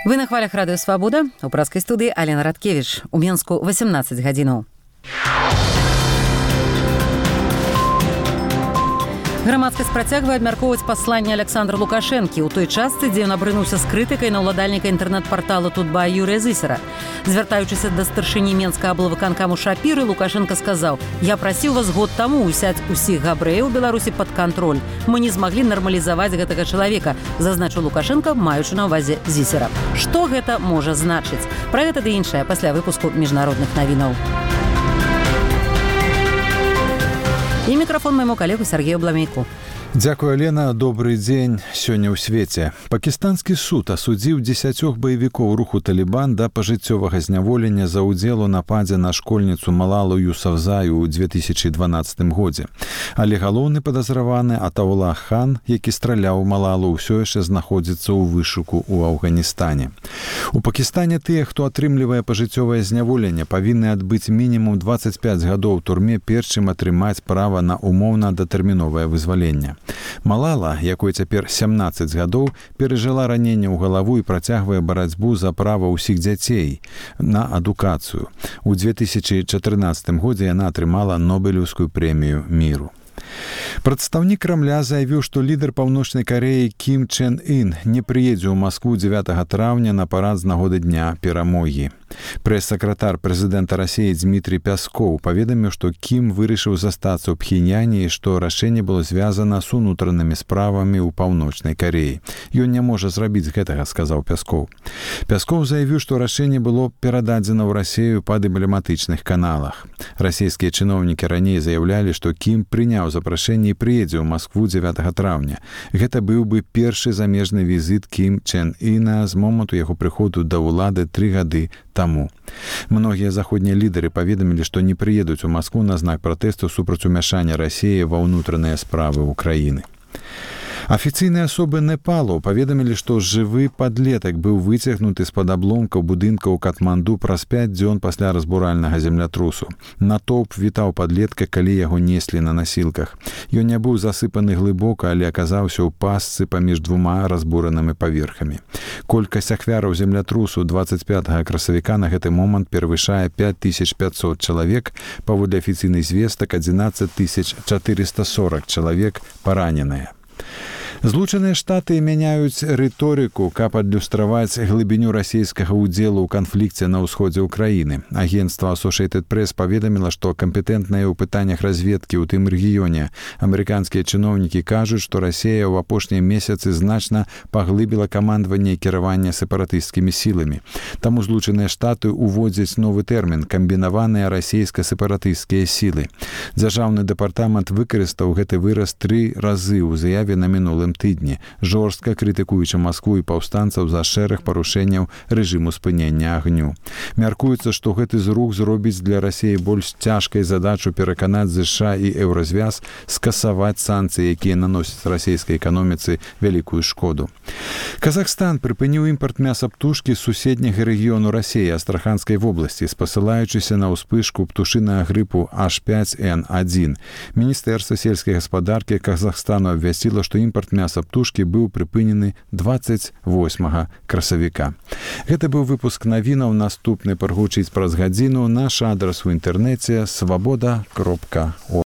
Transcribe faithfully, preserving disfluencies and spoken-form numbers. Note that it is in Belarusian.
Вы на хвалях радыё Свабода. У праскай студыі Алена Радкевіч. У Менску восемнадцать гадзінаў. Грамадскасць працягвае абмяркоўваць пасланне Александра Лукашэнкі ў той частцы, дзе ён абрынуўся з крытыкай на ўладальніка інтэрнэт-партала Тутбай Юрыя Зысера. Звяртаючыся да старшыні Менскага аблвыканкаму Шапіры, Лукашенко сказаў: «Я прасіў вас год таму ўзяць усіх габрэяў у Беларусі пад кантроль. Мы не змаглі нармалізаваць гэтага чалавека», зазначыў Лукашенко, маючы на ўвазе Зісера. Што гэта можа значыць? Пра гэта ды іншае пасля выпуску міжнародных навінаў. І мікрафон майму калегу Сергею Бламейку. Дзякуй, Алена. Добрый дзень. Сёння ў свеце. Пакістанскі суд асудзіў дзесяцёх баевікоў руху Талібан да пажыццёвага зняволення за ўдзел у нападзе на школьніцу Малалу Юсафзай у две тысячи дванаццатым годзе. Але галоўны падазраваны Атаула Хан, які страляў Малалу, ўсё яшчэ знаходзіцца ў вышуку ў Афганістане. У Пакістане тыя, хто атрымлівае пажыццёвае зняволенне, павінны адбыць мінімум дваццаць пяць гадоў у турме, перш чым атрымаць права на умоўна датэрміновае вызваленне. Малала, якой цяпер сямнаццаць гадоў, перажыла раненне ў галаву і працягвае барацьбу за права ўсіх дзяцей на адукацыю. У две тысячи чатырнаццатым годзе яна атрымала Нобелеўскую прэмію міру. Прадстаўнік Крамля заявіў, што лідар Паўночнай Карэі Кім Чен Ын не прыедзе ў Маскву дзевятага траўня на парад з нагоды дня перамогі. Прэс-сакратар прэзідэнта Расіі Дмітрий Пяскоў паведаміў, што Кім вырашыў застацца ў Пхеньяне і што рашэнне было звязана з унутранымі справамі ў Паўночнай Карэі. Ён не можа зрабіць гэтага, сказаў Пяскоў. Пяскоў заявіў, што рашэнне было перададзена ў Расію па дыпламатычных каналах. Расійскія чыноўнікі раней заявлялі, што Кім прыняў запрашэнне і прыедзе ў Маскву дзевятага траўня. Гэта быў бы першы замежны візіт Кім Чен Іна з моманту яго прыходу да ўлады тры гады таму. Многія заходнія лідары паведамілі, што не прыедуць у Маскву на знак пратэсту супраць умяшання Расіі ва ўнутраныя справы ўкраіны. Афіцыйныя асобы Непалу паведамілі, што жывы падлетак быў выцягнуты з-пад абломкаў будынка ў Катманду праз пяць дзён пасля разбуральнага землятрусу. Натоўп вітаў падлетка, калі яго неслі на насілках. Ён не быў засыпаны глыбока, але аказаўся ў пастцы паміж двума разбуранымі паверхамі. Колькасць ахвяраў землятрусу дваццаць пятага красавіка на гэты момант перавышае пяць тысяч пятьсот чалавек, паводле афіцыйных звестак адзінаццаць тысяч чатырыста сорок чалавек параненыя. Злучаныя Штаты мяняюць рыторыку, каб адлюстраваць глыбіню расійскага ўдзелу ў канфлікце на ўсходзе ўкраіны. Агенцтва Associated Press паведаміла, што кампетэнтныя ў пытаннях разведкі ў тым рэгіёне амерыканскія чыноўнікі кажуць, што Расія ў апошнія месяцы значна паглыбіла камандаванне і кіраванне сепаратысцкімі сіламі. Таму Злучаныя Штаты ўводзяць новы тэрмін камбінаваныя расійска-сепаратысцкія сілы. Дзяржаўны дэпартамент выкарыстаў гэты выраз тры разы ў заяве на мінулым тыдні, жорстка крытыкуючы Маскву і паўстанцаў за шэраг парушэнняў рэжыму спынення агню. Мяркуецца, што гэты зрух зробіць для Расіі больш цяжкай задачу пераканаць ЗША і Еўразвяз скасаваць санкцыі, якія наносяць расійскай эканоміцы вялікую шкоду. Казахстан прыпыніў імпарт мяса птушкі з суседняга рэгіёну Расіі, Астраханскай вобласці, спасылаючыся на ўспышку птушынага грыпу H пять N один. Міністэрства сельскай гаспадаркі Казахстану абвясціла, што імпарт мяса птушкі быў прыпынены дваццаць восьмага красавіка. Гэта быў выпуск навінаў. Наступны прагучыць праз гадзіну. Наш адрас у інтэрнэце свабода кропка орг.